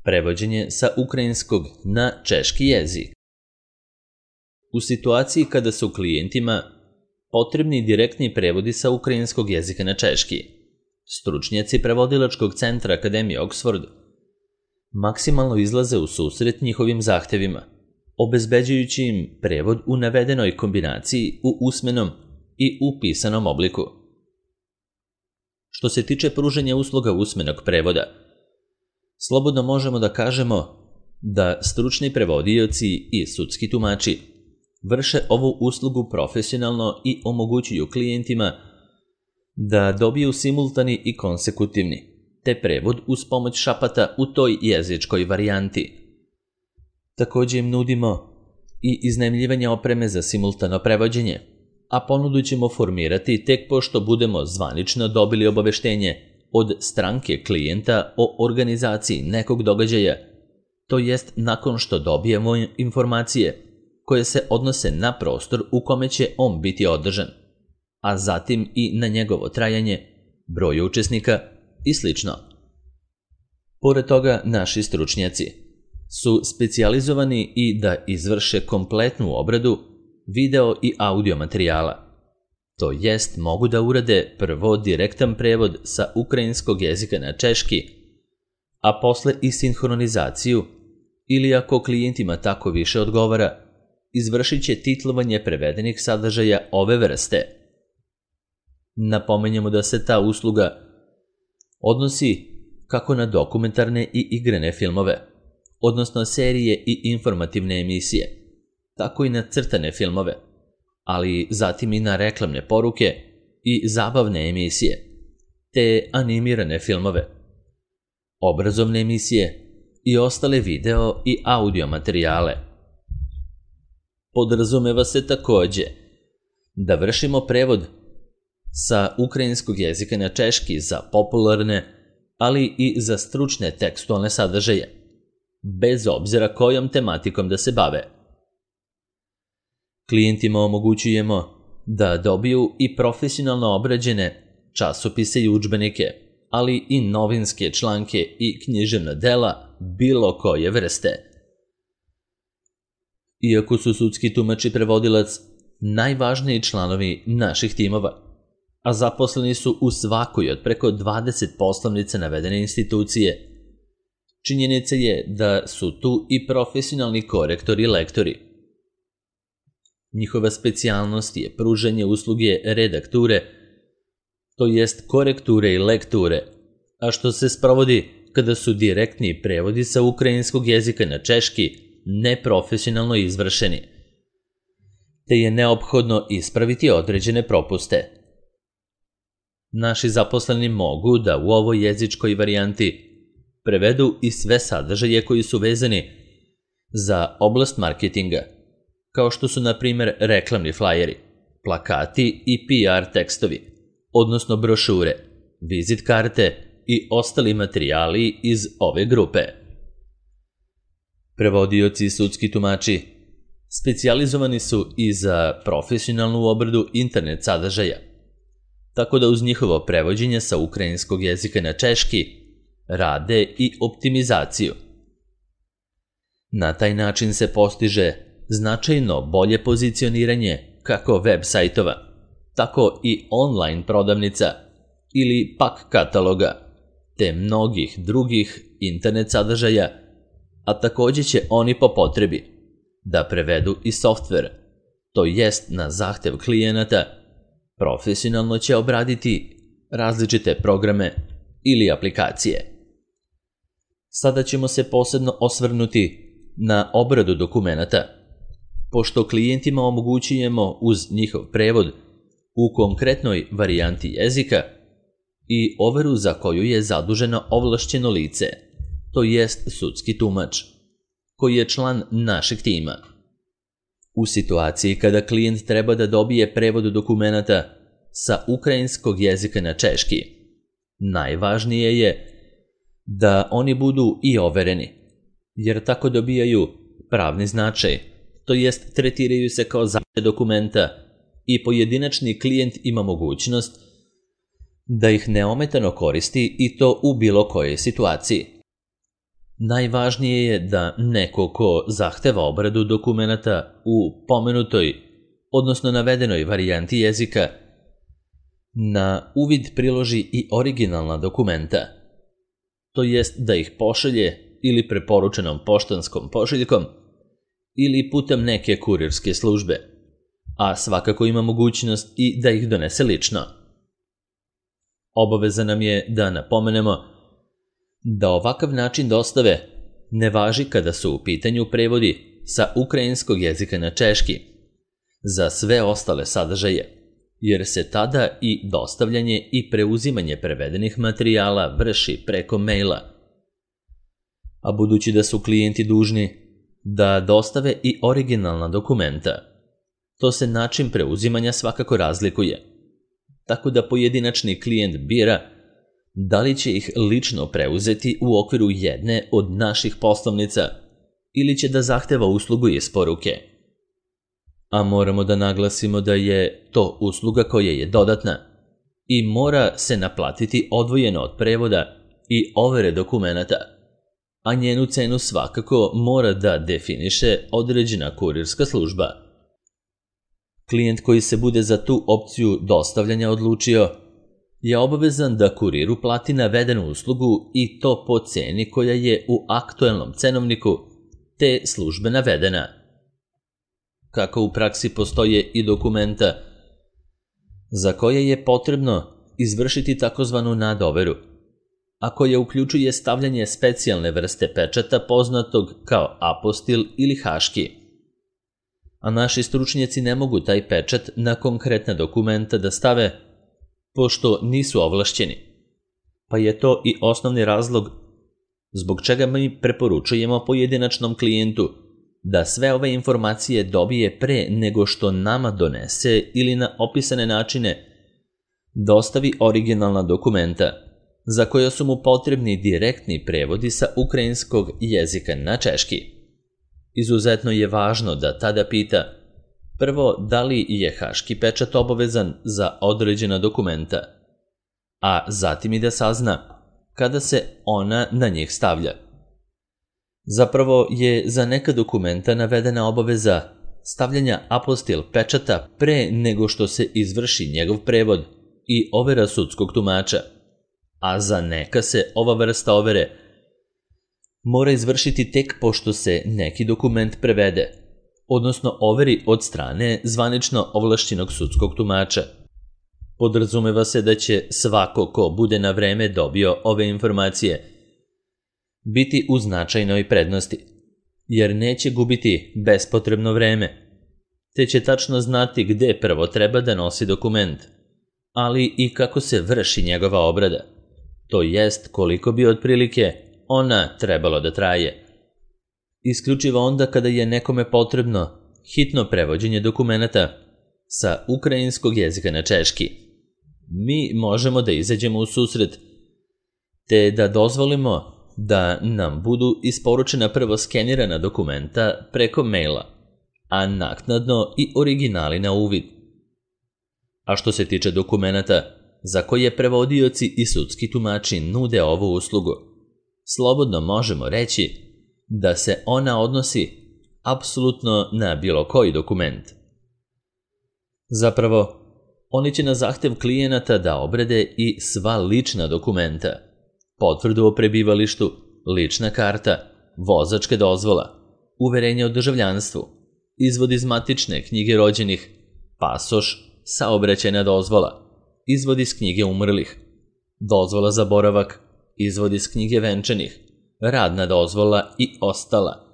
Prevođenje sa ukrajinskog na češki jezik. U situaciji kada su klijentima potrebni direktni prevodi sa ukrajinskog jezika na češki, stručnjaci prevodilačkog centra Akademije Oxford maksimalno izlaze u susret njihovim zahtevima, obezbeđujući im prevod u navedenoj kombinaciji u usmenom i u pisanom obliku. Što se tiče pružanja usluga usmenog prevoda, slobodno možemo da kažemo da stručni prevodioci i sudski tumači vrše ovu uslugu profesionalno i omogućuju klijentima da dobiju simultani i konsekutivni, te prevod uz pomoć šapata u toj jezičkoj varijanti. Također im nudimo i iznajmljivanje opreme za simultano prevođenje, a ponudu ćemo formirati tek pošto budemo zvanično dobili obaveštenje od stranke klijenta o organizaciji nekog događaja, to jest nakon što dobijemo informacije koje se odnose na prostor u kome će on biti održan, a zatim i na njegovo trajanje, broj učesnika i sl. Pored toga, naši stručnjaci su specijalizovani i da izvrše kompletnu obradu video i audio materijala. To jest, mogu da urade prvo direktan prevod sa ukrajinskog jezika na češki, a posle i sinhronizaciju, ili ako klijentima tako više odgovara, izvršit će titlovanje prevedenih sadržaja ove vrste. Napomenjemo da se ta usluga odnosi kako na dokumentarne i igrane filmove, odnosno serije i informativne emisije, tako i na crtane filmove, ali zatim i na reklamne poruke i zabavne emisije, te animirane filmove, obrazovne emisije i ostale video i audio materijale. Podrazumeva se također da vršimo prevod sa ukrajinskog jezika na češki za popularne, ali i za stručne tekstualne sadržaje, bez obzira kojom tematikom da se bave. Klijentima omogućujemo da dobiju i profesionalno obrađene časopise i udžbenike, ali i novinske članke i književna dela bilo koje vrste. Iako su sudski tumač i prevodilac najvažniji članovi naših timova, a zaposleni su u svakoj od preko 20 poslovnica navedene institucije, činjenica je da su tu i profesionalni korektori i lektori. Njihova specijalnost je pružanje usluge redakture, to jest korekture i lekture, a što se sprovodi kada su direktni prevodi sa ukrajinskog jezika na češki neprofesionalno izvršeni, te je neophodno ispraviti određene propuste. Naši zaposleni mogu da u ovoj jezičkoj varijanti prevedu i sve sadržaje koji su vezani za oblast marketinga, kao što su, na primjer, reklamni flajeri, plakati i PR tekstovi, odnosno brošure, vizit karte i ostali materijali iz ove grupe. Prevodioci i sudski tumači specijalizovani su i za profesionalnu obradu internet sadržaja, tako da uz njihovo prevođenje sa ukrajinskog jezika na češki rade i optimizaciju. Na taj način se postiže značajno bolje pozicioniranje kako web sajtova, tako i online prodavnica ili pak kataloga, te mnogih drugih internet sadržaja, a također će oni po potrebi da prevedu i softver, to jest na zahtev klijenata, profesionalno će obraditi različite programe ili aplikacije. Sada ćemo se posebno osvrnuti na obradu dokumenata, pošto klijentima omogućujemo uz njihov prevod u konkretnoj varijanti jezika i overu za koju je zaduženo ovlašćeno lice, to jest sudski tumač, koji je član našeg tima. U situaciji kada klijent treba da dobije prevod dokumenata sa ukrajinskog jezika na češki, najvažnije je da oni budu i overeni, jer tako dobijaju pravni značaj, to jest tretiraju se kao zaštite dokumenta i pojedinačni klijent ima mogućnost da ih neometano koristi i to u bilo kojoj situaciji. Najvažnije je da neko ko zahteva obradu dokumenata u pomenutoj, odnosno navedenoj varijanti jezika, na uvid priloži i originalna dokumenta, to jest da ih pošalje ili preporučenom poštanskom pošiljkom ili putem neke kurirske službe, a svakako ima mogućnost i da ih donese lično. Obaveza nam je da napomenemo da ovakav način dostave ne važi kada su u pitanju prevodi sa ukrajinskog jezika na češki za sve ostale sadržaje, jer se tada i dostavljanje i preuzimanje prevedenih materijala vrši preko maila. A budući da su klijenti dužni da dostave i originalna dokumenta, to se način preuzimanja svakako razlikuje, tako da pojedinačni klijent bira da li će ih lično preuzeti u okviru jedne od naših poslovnica ili će da zahteva uslugu isporuke. A moramo da naglasimo da je to usluga koja je dodatna i mora se naplatiti odvojeno od prevoda i overe dokumenata, a njenu cenu svakako mora da definiše određena kurirska služba. Klijent koji se bude za tu opciju dostavljanja odlučio je obavezan da kuriru plati navedenu uslugu i to po ceni koja je u aktuelnom cenovniku te službe navedena. Kako u praksi postoje i dokumenta za koje je potrebno izvršiti takozvanu nadoveru, a koja uključuje stavljanje specijalne vrste pečata poznatog kao apostil ili haški. A naši stručnjaci ne mogu taj pečat na konkretna dokumenta da stave pošto nisu ovlašćeni, pa je to i osnovni razlog zbog čega mi preporučujemo pojedinačnom klijentu da sve ove informacije dobije pre nego što nama donese ili na opisane načine dostavi originalna dokumenta za koje su mu potrebni direktni prevodi sa ukrajinskog jezika na češki. Izuzetno je važno da tada pita prvo da li je haški pečat obavezan za određena dokumenta, a zatim i da sazna kada se ona na njih stavlja. Zapravo je za neka dokumenta navedena obaveza stavljanja apostil pečata pre nego što se izvrši njegov prevod i overa sudskog tumača, a za neka se ova vrsta overe mora izvršiti tek pošto se neki dokument prevede, odnosno overi od strane zvanično ovlašćenog sudskog tumača. Podrazumeva se da će svako ko bude na vreme dobio ove informacije biti u značajnoj prednosti, jer neće gubiti bespotrebno vreme, te će tačno znati gde prvo treba da nosi dokument, ali i kako se vrši njegova obrada, to jest koliko bi otprilike ona trebalo da traje. Isključivo onda kada je nekome potrebno hitno prevođenje dokumenata sa ukrajinskog jezika na češki, mi možemo da izađemo u susret te da dozvolimo da nam budu isporučena prvo skenirana dokumenta preko maila, a naknadno i originali na uvid. A što se tiče dokumenata za koje prevodioci i sudski tumači nude ovu uslugu, slobodno možemo reći da se ona odnosi apsolutno na bilo koji dokument. Zapravo, oni će na zahtev klijenata da obrade i sva lična dokumenta, potvrdu o prebivalištu, lična karta, vozačke dozvola, uverenje o državljanstvu, izvod iz matične knjige rođenih, pasoš, saobraćajna dozvola, izvod iz knjige umrlih, dozvola za boravak, izvod iz knjige venčanih, radna dozvola i ostala.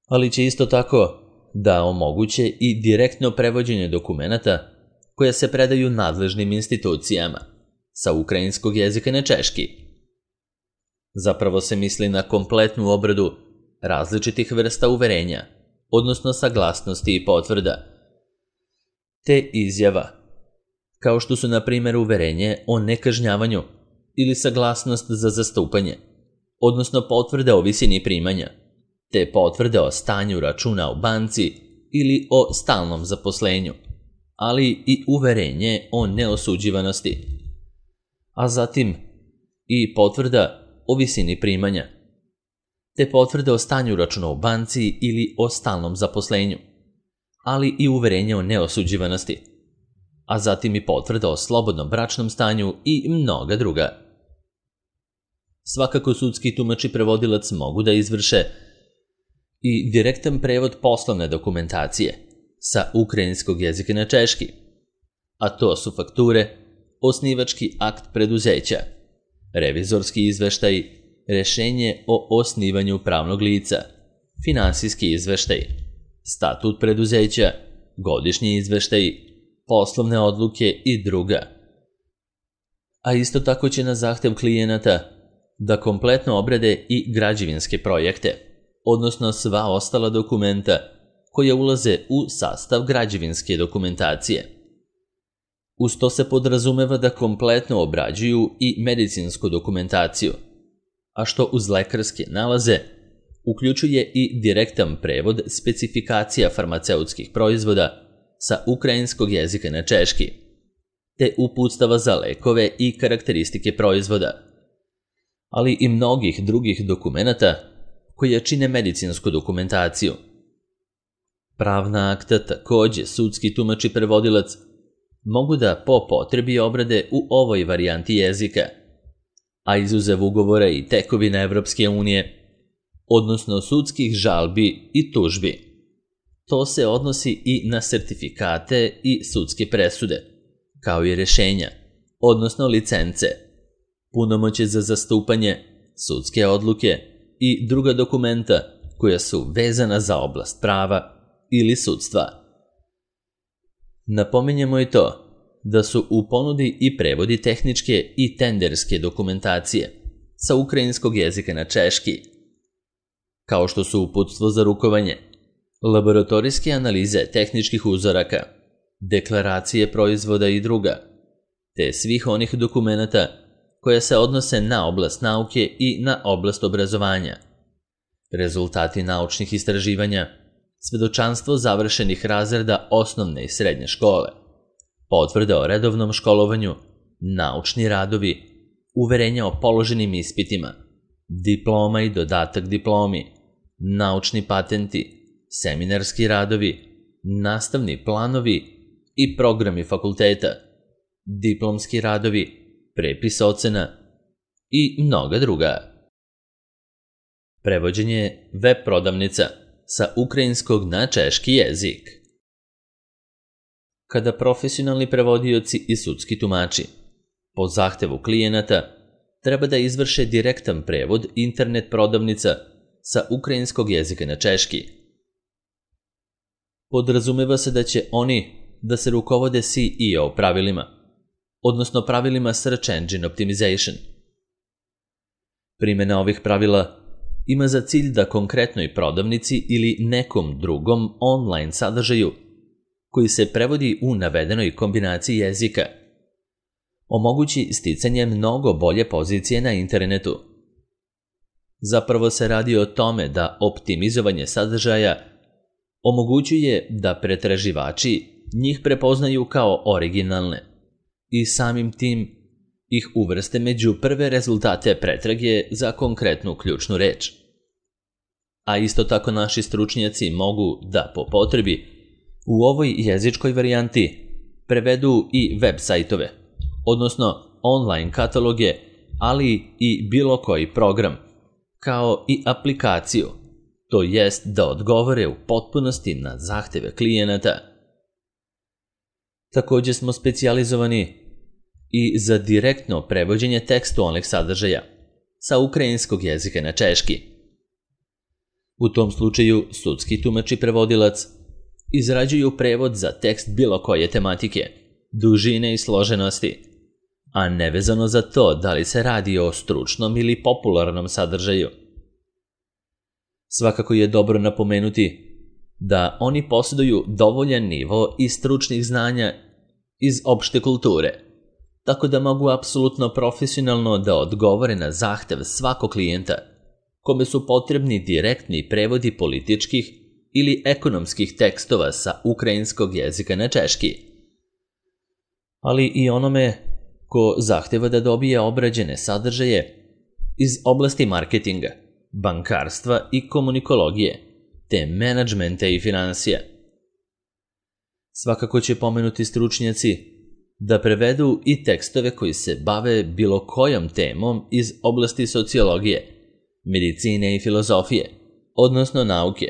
Ali će isto tako da omoguće i direktno prevođenje dokumenata koja se predaju nadležnim institucijama sa ukrajinskog jezika na češki. Zapravo se misli na kompletnu obradu različitih vrsta uverenja, odnosno saglasnosti i potvrda, te izjava, kao što su na primjer uverenje o nekažnjavanju ili saglasnost za zastupanje, odnosno potvrde o visini primanja, te potvrde o stanju računa u banci ili o stalnom zaposlenju, ali i uverenje o neosuđivanosti, a zatim i potvrda o visini primanja, te potvrde o stanju računa u banci ili o stalnom zaposlenju, ali i uverenje o neosuđivanosti, a zatim i potvrda o slobodnom bračnom stanju i mnoga druga. Svakako sudski tumač i prevodilac mogu da izvrše i direktan prevod poslovne dokumentacije sa ukrajinskog jezika na češki, a to su fakture, osnivački akt preduzeća, revizorski izveštaj, rešenje o osnivanju pravnog lica, finansijski izveštaj, statut preduzeća, godišnji izveštaj, poslovne odluke i druga. A isto tako će na zahtev klijenata da kompletno obrade i građevinske projekte, odnosno sva ostala dokumenta koja ulaze u sastav građevinske dokumentacije. Uz to se podrazumeva da kompletno obrađuju i medicinsku dokumentaciju, a što uz lekarske nalaze uključuje i direktan prevod specifikacija farmaceutskih proizvoda sa ukrajinskog jezika na češki, te uputstava za lekove i karakteristike proizvoda, ali i mnogih drugih dokumenata koje čine medicinsku dokumentaciju. Pravna akta takođe sudski tumač i prevodilac mogu da po potrebi obrade u ovoj varijanti jezika, a izuzev ugovora i tekovina Evropske unije, odnosno sudskih žalbi i tužbi. To se odnosi i na sertifikate i sudske presude, kao i rešenja, odnosno licence, punomoćje za zastupanje, sudske odluke i druga dokumenta koja su vezana za oblast prava ili sudstva. Napominjemo i to da su u ponudi i prevodi tehničke i tenderske dokumentacije sa ukrajinskog jezika na češki, kao što su uputstvo za rukovanje, laboratorijske analize tehničkih uzoraka, deklaracije proizvoda i druga, te svih onih dokumenata koja se odnose na oblast nauke i na oblast obrazovanja, rezultati naučnih istraživanja, svedočanstvo završenih razreda osnovne i srednje škole, potvrda o redovnom školovanju, naučni radovi, uverenja o položenim ispitima, diploma i dodatak diplomi, naučni patenti, seminarski radovi, nastavni planovi i programi fakulteta, diplomski radovi, prepis ocena i mnoga druga. Prevođenje web prodavnica sa ukrajinskog na češki jezik. Kada profesionalni prevodioci i sudski tumači po zahtevu klijenata treba da izvrše direktan prevod internet prodavnica sa ukrajinskog jezika na češki, podrazumeva se da će oni da se rukovode SEO pravilima, odnosno pravilima Search Engine Optimization. Primjena ovih pravila ima za cilj da konkretnoj prodavnici ili nekom drugom online sadržaju koji se prevodi u navedenoj kombinaciji jezika omogući sticanje mnogo bolje pozicije na internetu. Zapravo se radi o tome da optimizovanje sadržaja omogućuje da pretraživači njih prepoznaju kao originalne i samim tim ih uvrste među prve rezultate pretrage za konkretnu ključnu reč. A isto tako naši stručnjaci mogu da po potrebi u ovoj jezičkoj varijanti prevedu i web sajtove, odnosno online kataloge, ali i bilo koji program, kao i aplikaciju, to jest da odgovore u potpunosti na zahteve klijenata. Takođe smo specijalizovani i za direktno prevođenje tekstualnih sadržaja sa ukrajinskog jezika na češki. U tom slučaju sudski tumač i prevodilac izrađuju prevod za tekst bilo koje tematike, dužine i složenosti, a nevezano za to da li se radi o stručnom ili popularnom sadržaju. Svakako je dobro napomenuti da oni posjeduju dovoljan nivo i stručnih znanja iz opšte kulture, tako da mogu apsolutno profesionalno da odgovore na zahtev svakog klijenta, kome su potrebni direktni prevodi političkih ili ekonomskih tekstova sa ukrajinskog jezika na češki, ali i onome ko zahteva da dobije obrađene sadržaje iz oblasti marketinga, bankarstva i komunikologije, te menadžmenta i finansija. Svakako će pomenuti stručnjaci da prevedu i tekstove koji se bave bilo kojom temom iz oblasti sociologije, medicine i filozofije, odnosno nauke,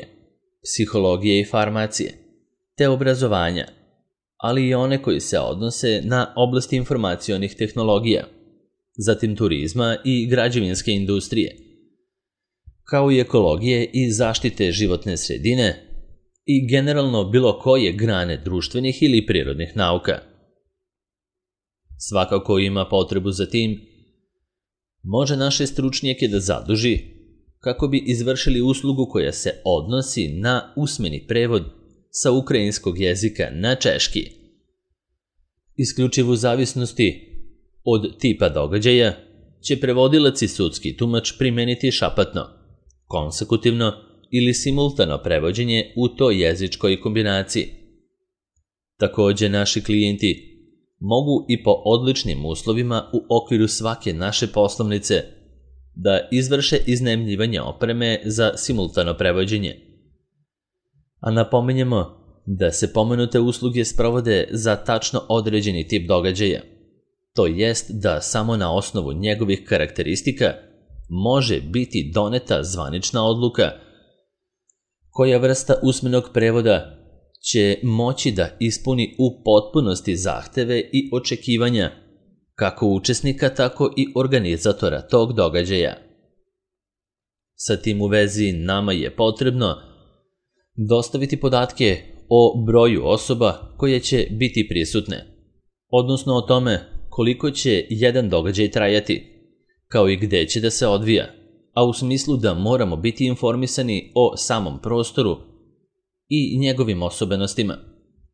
psihologije i farmacije, te obrazovanja, ali i one koji se odnose na oblasti informacionih tehnologija, zatim turizma i građevinske industrije, kao i ekologije i zaštite životne sredine i generalno bilo koje grane društvenih ili prirodnih nauka. Svakako ima potrebu za tim, može naše stručnjake da zaduži kako bi izvršili uslugu koja se odnosi na usmeni prevod sa ukrajinskog jezika na češki. Isključivo u zavisnosti od tipa događaja će prevodilac i sudski tumač primeniti šapatno, konsekutivno ili simultano prevođenje u toj jezičkoj kombinaciji. Takođe, naši klijenti mogu i po odličnim uslovima u okviru svake naše poslovnice da izvrše iznajmljivanje opreme za simultano prevođenje. A napominjemo da se pomenute usluge sprovode za tačno određeni tip događaja, to jest da samo na osnovu njegovih karakteristika može biti doneta zvanična odluka koja vrsta usmenog prevoda će moći da ispuni u potpunosti zahteve i očekivanja kako učesnika, tako i organizatora tog događaja. Sa tim u vezi nama je potrebno dostaviti podatke o broju osoba koje će biti prisutne, odnosno o tome koliko će jedan događaj trajati, kao i gde će da se odvija, a u smislu da moramo biti informisani o samom prostoru i njegovim osobenostima,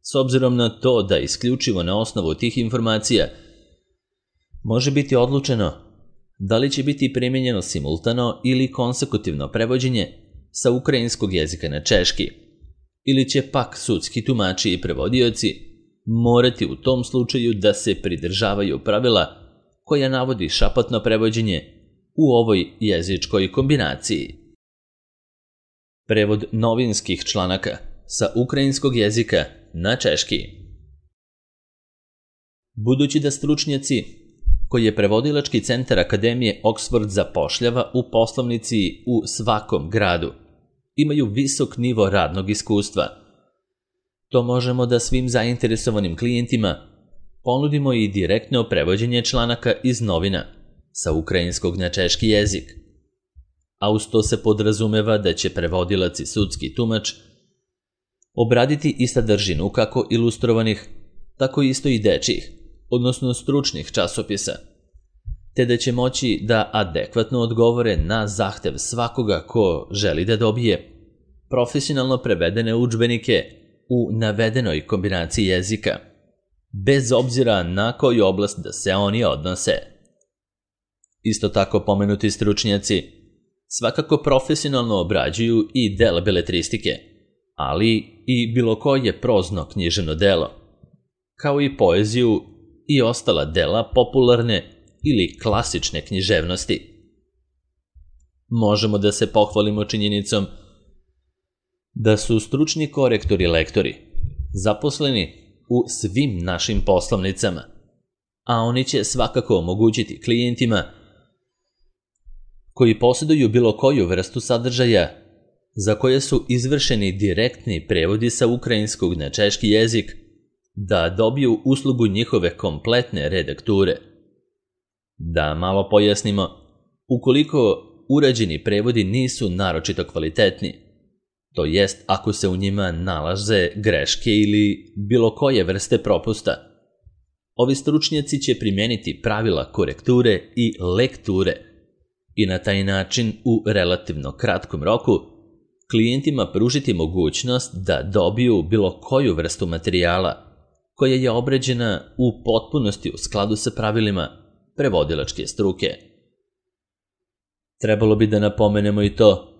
s obzirom na to da isključivo na osnovu tih informacija može biti odlučeno da li će biti primenjeno simultano ili konsekutivno prevođenje sa ukrajinskog jezika na češki, ili će pak sudski tumači i prevodioci morati u tom slučaju da se pridržavaju pravila koja navodi šapatno prevođenje u ovoj jezičkoj kombinaciji. Prevod novinskih članaka sa ukrajinskog jezika na češki. Budući da stručnjaci koji je prevodilački centar Akademije Oxford zapošljava u poslovnici u svakom gradu, imaju visok nivo radnog iskustva, to možemo da svim zainteresovanim klijentima ponudimo i direktno prevođenje članaka iz novina sa ukrajinskog na češki jezik, a uz to se podrazumeva da će prevodilac i sudski tumač obraditi i sadržinu kako ilustrovanih, tako isto i dečjih, odnosno stručnih časopisa, te da će moći da adekvatno odgovore na zahtev svakoga ko želi da dobije profesionalno prevedene udžbenike u navedenoj kombinaciji jezika, bez obzira na koju oblast da se oni odnose. Isto tako pomenuti stručnjaci svakako profesionalno obrađuju i dela beletristike, ali i bilo koje prozno književno delo, kao i poeziju i ostala dela popularne ili klasične književnosti. Možemo da se pohvalimo činjenicom da su stručni korektori i lektori zaposleni u svim našim poslovnicama, a oni će svakako omogućiti klijentima koji posjeduju bilo koju vrstu sadržaja za koje su izvršeni direktni prevodi sa ukrajinskog na češki jezik da dobiju uslugu njihove kompletne redakture. Da malo pojasnimo, ukoliko urađeni prevodi nisu naročito kvalitetni, to jest ako se u njima nalaze greške ili bilo koje vrste propusta, ovi stručnjaci će primeniti pravila korekture i lekture i na taj način u relativno kratkom roku klijentima pružiti mogućnost da dobiju bilo koju vrstu materijala koja je obrađena u potpunosti u skladu sa pravilima prevodilačke struke. Trebalo bi da napomenemo i to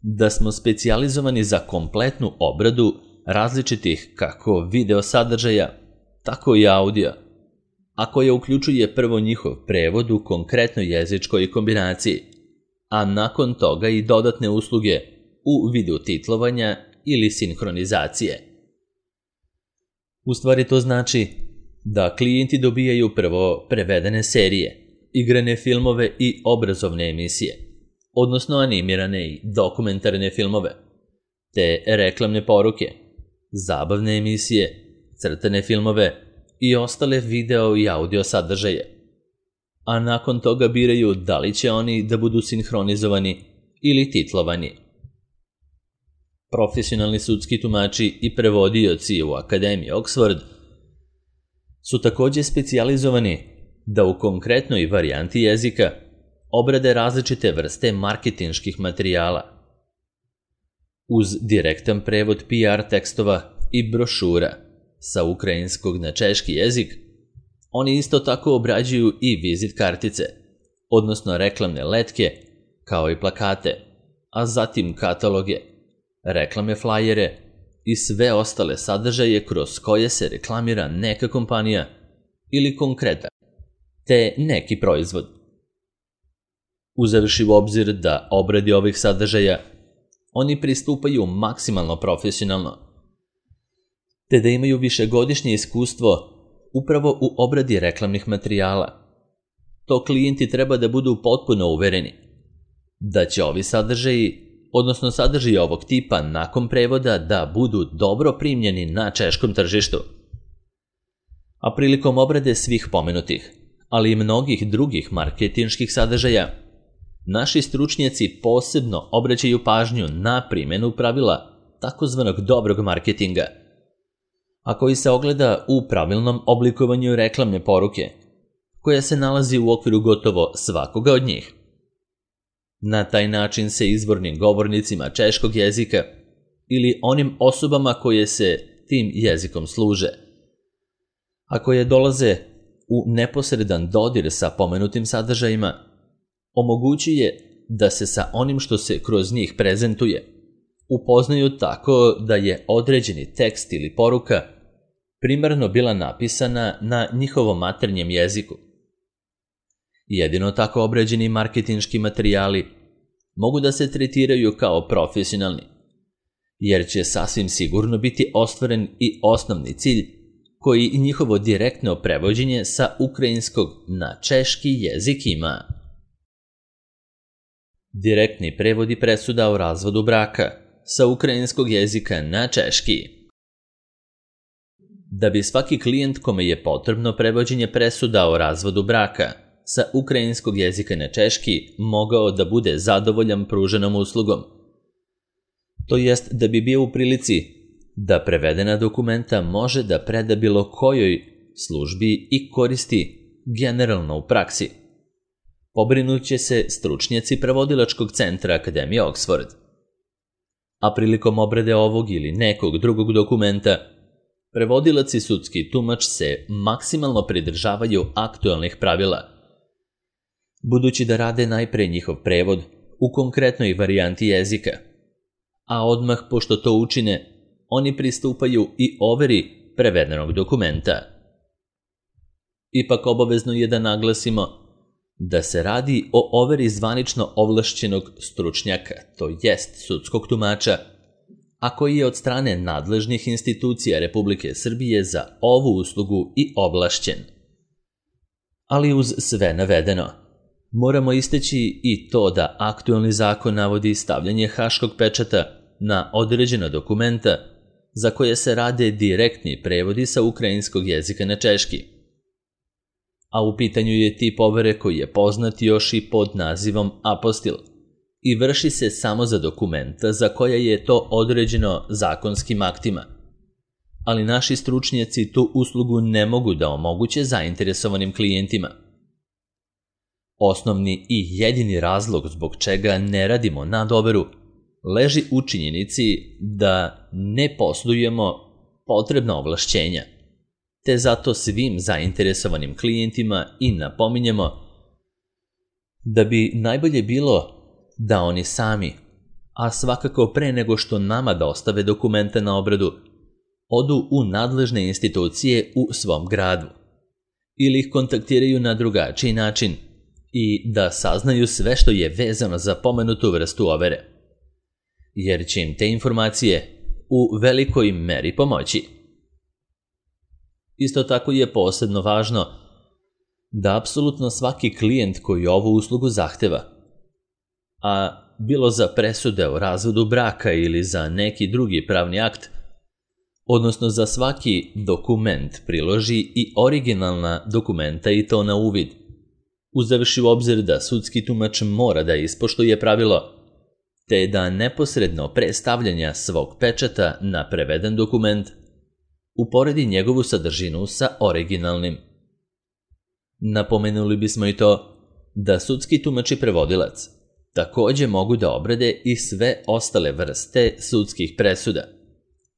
da smo specijalizovani za kompletnu obradu različitih kako video sadržaja, tako i audio, a koja uključuje prvo njihov prevod u konkretnoj jezičkoj kombinaciji, a nakon toga i dodatne usluge u vidu titlovanja ili sinhronizacije. U stvari to znači da klijenti dobijaju prvo prevedene serije, igrane filmove i obrazovne emisije, odnosno animirane i dokumentarne filmove, te reklamne poruke, zabavne emisije, crtane filmove i ostale video i audio sadržaje. A nakon toga biraju da li će oni da budu sinhronizovani ili titlovani. Profesionalni sudski tumači i prevodioci u Akademiji Oxford su također specijalizovani da u konkretnoj varijanti jezika obrade različite vrste marketinških materijala. Uz direktan prevod PR tekstova i brošura sa ukrajinskog na češki jezik, oni isto tako obrađuju i vizit kartice, odnosno reklamne letke, kao i plakate, a zatim kataloge, reklamne flajere i sve ostale sadržaje kroz koje se reklamira neka kompanija ili konkretan, te neki proizvod. Uzevši u obzir da obradi ovih sadržaja, oni pristupaju maksimalno profesionalno, te da imaju višegodišnje iskustvo upravo u obradi reklamnih materijala. To klijenti treba da budu potpuno uvereni da će ovi sadržaji, odnosno sadržaji ovog tipa nakon prevoda, da budu dobro primljeni na češkom tržištu. A prilikom obrade svih pomenutih, ali i mnogih drugih marketinških sadržaja, naši stručnjaci posebno obraćaju pažnju na primjenu pravila takozvanog dobrog marketinga, a koji se ogleda u pravilnom oblikovanju reklamne poruke, koja se nalazi u okviru gotovo svakoga od njih. Na taj način se izvornim govornicima češkog jezika ili onim osobama koje se tim jezikom služe, a koje dolaze u neposredan dodir sa pomenutim sadržajima, omogućuje da se sa onim što se kroz njih prezentuje upoznaju tako da je određeni tekst ili poruka primarno bila napisana na njihovom maternjem jeziku. Jedino tako obrađeni marketinški materijali mogu da se tretiraju kao profesionalni, jer će sasvim sigurno biti ostvaren i osnovni cilj koji njihovo direktno prevođenje sa ukrajinskog na češki jezik ima. Direktni prevodi presuda o razvodu braka sa ukrajinskog jezika na češki. Da bi svaki klijent kome je potrebno prevođenje presuda o razvodu braka sa ukrajinskog jezika na češki mogao da bude zadovoljan pruženom uslugom, to jest da bi bio u prilici da prevedena dokumenta može da preda bilo kojoj službi i koristi generalno u praksi, pobrinut će se stručnjaci prevodilačkog centra Akademije Oxford. A prilikom obrade ovog ili nekog drugog dokumenta, prevodilac i sudski tumač se maksimalno pridržavaju aktualnih pravila, budući da rade najpre njihov prevod u konkretnoj varijanti jezika, a odmah pošto to učine, oni pristupaju i overi prevedenog dokumenta. Ipak obavezno je da naglasimo da se radi o overi zvanično ovlašćenog stručnjaka, to jest sudskog tumača, a koji je od strane nadležnih institucija Republike Srbije za ovu uslugu i ovlašćen. Ali uz sve navedeno, moramo istaći i to da aktualni zakon navodi stavljanje haškog pečata na određena dokumenta za koje se rade direktni prevodi sa ukrajinskog jezika na češki. A u pitanju je tip overe koji je poznat još i pod nazivom apostil i vrši se samo za dokumenta za koje je to određeno zakonskim aktima. Ali naši stručnjaci tu uslugu ne mogu da omoguće zainteresovanim klijentima. Osnovni i jedini razlog zbog čega ne radimo nadoveru leži u činjenici da ne posjedujemo potrebna ovlašćenja, te zato svim zainteresovanim klijentima i napominjemo da bi najbolje bilo da oni sami, a svakako pre nego što nama dostave dokumente na obradu, odu u nadležne institucije u svom gradu ili ih kontaktiraju na drugačiji način i da saznaju sve što je vezano za pomenutu vrstu overe, jer će im te informacije u velikoj meri pomoći. Isto tako je posebno važno da apsolutno svaki klijent koji ovu uslugu zahteva, a bilo za presude o razvodu braka ili za neki drugi pravni akt, odnosno za svaki dokument priloži i originalna dokumenta i to na uvid, uzevši u obzir da sudski tumač mora da ispoštuje pravilo, te da neposredno pre stavljanja svog pečata na preveden dokument uporedi njegovu sadržinu sa originalnim. Napomenuli bismo i to da sudski tumač i prevodilac takođe mogu da obrade i sve ostale vrste sudskih presuda,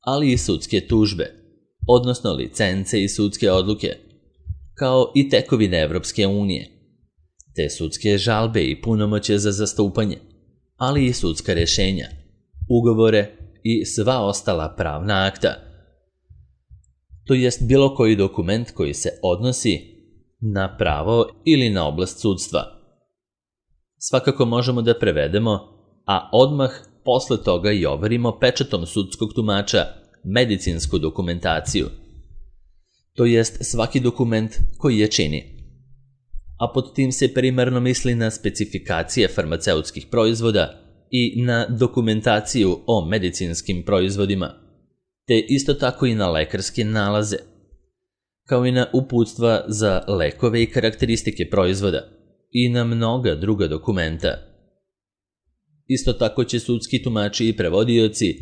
ali i sudske tužbe, odnosno licence i sudske odluke, kao i tekovine Evropske unije, te sudske žalbe i punomoćje za zastupanje, ali i sudska rešenja, ugovore i sva ostala pravna akta, to jest bilo koji dokument koji se odnosi na pravo ili na oblast sudstva. Svakako možemo da prevedemo, a odmah posle toga i overimo pečatom sudskog tumača medicinsku dokumentaciju, to jest svaki dokument koji je čini. A pod tim se primarno misli na specifikacije farmaceutskih proizvoda i na dokumentaciju o medicinskim proizvodima, te isto tako i na lekarske nalaze, kao i na uputstva za lekove i karakteristike proizvoda i na mnoga druga dokumenta. Isto tako će sudski tumači i prevodioci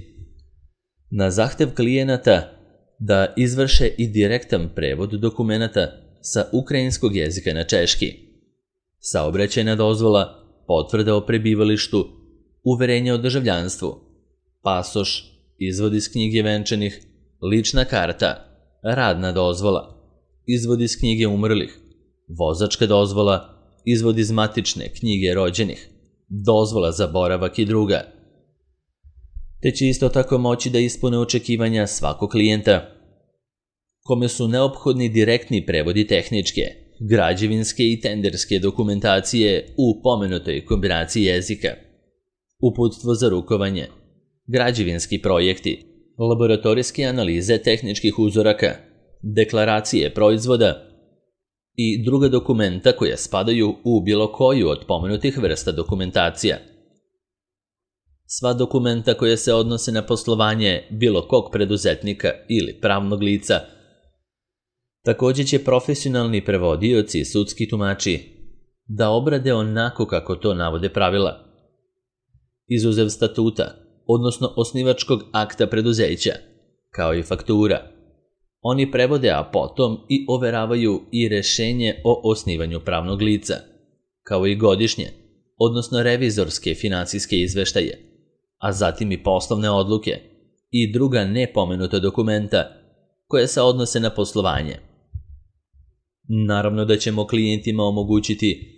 na zahtev klijenata da izvrše i direktan prevod dokumenata sa ukrajinskog jezika na češki, saobraćajna dozvola, potvrda o prebivalištu, uverenje o državljanstvu, pasoš, izvod iz knjige venčanih, lična karta, radna dozvola, izvod iz knjige umrlih, vozačka dozvola, izvod iz matične knjige rođenih, dozvola za boravak i druga. Te će isto tako moći da ispune očekivanja svakog klijenta, kome su neophodni direktni prevodi tehničke, građevinske i tenderske dokumentacije u pomenutoj kombinaciji jezika, uputstvo za rukovanje, građevinski projekti, laboratorijske analize tehničkih uzoraka, deklaracije proizvoda i druga dokumenta koja spadaju u bilo koju od pomenutih vrsta dokumentacija. Sva dokumenta koja se odnose na poslovanje bilo kog preduzetnika ili pravnog lica. Takođe će profesionalni prevodioci i sudski tumači da obrade onako kako to navode pravila, izuzev statuta, odnosno osnivačkog akta preduzeća, kao i faktura. Oni prevode, a potom i overavaju i rešenje o osnivanju pravnog lica, kao i godišnje, odnosno revizorske finansijske izveštaje, a zatim i poslovne odluke i druga nepomenuta dokumenta koje se odnose na poslovanje. Naravno da ćemo klijentima omogućiti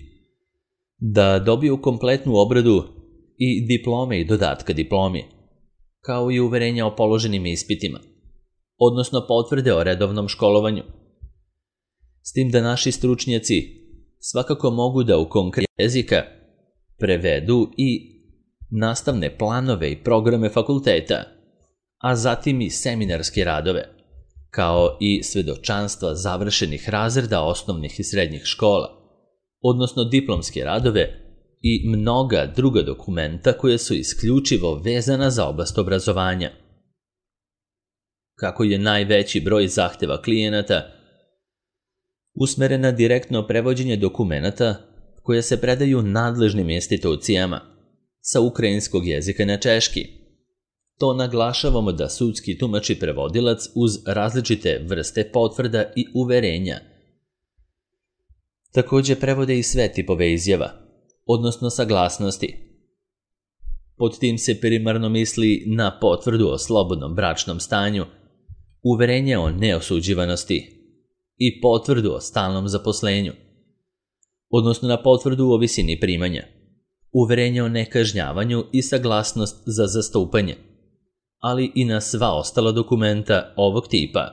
da dobiju kompletnu obradu i diplome i dodatka diplomi, kao i uverenja o položenim ispitima, odnosno potvrde o redovnom školovanju. S tim da naši stručnjaci svakako mogu da u konkretnog jezika prevedu i nastavne planove i programe fakulteta, a zatim i seminarske radove, kao i svedočanstva završenih razreda osnovnih i srednjih škola, odnosno diplomske radove i mnoga druga dokumenta koje su isključivo vezana za oblast obrazovanja. Kako je najveći broj zahteva klijenata usmeren na direktno prevođenje dokumenata koje se predaju nadležnim institucijama sa ukrajinskog jezika na češki, to naglašavamo da sudski tumač i prevodilac uz različite vrste potvrda i uverenja takođe prevode i sve tipove izjava, odnosno saglasnosti. Pod tim se primarno misli na potvrdu o slobodnom bračnom stanju, uverenje o neosuđivanosti i potvrdu o stalnom zaposlenju, odnosno na potvrdu o visini primanja, uverenje o nekažnjavanju i saglasnost za zastupanje, ali i na sva ostala dokumenta ovog tipa.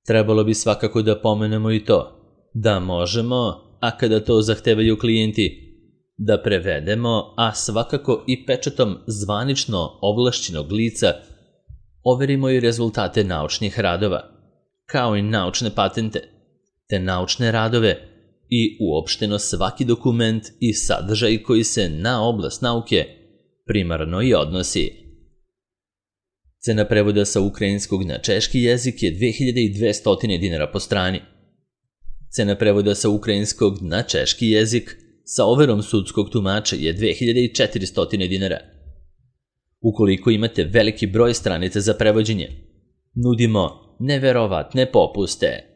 Trebalo bi svakako da pomenemo i to da možemo a kada to zahtevaju klijenti, da prevedemo, a svakako i pečatom zvanično ovlašćenog lica, overimo i rezultate naučnih radova, kao i naučne patente, te naučne radove i uopšteno svaki dokument i sadržaj koji se na oblast nauke primarno i odnosi. Cena prevoda sa ukrajinskog na češki jezik je 2200 dinara po strani. Cena prevoda sa ukrajinskog na češki jezik sa overom sudskog tumača je 2400 dinara. Ukoliko imate veliki broj stranica za prevođenje, nudimo neverovatne popuste.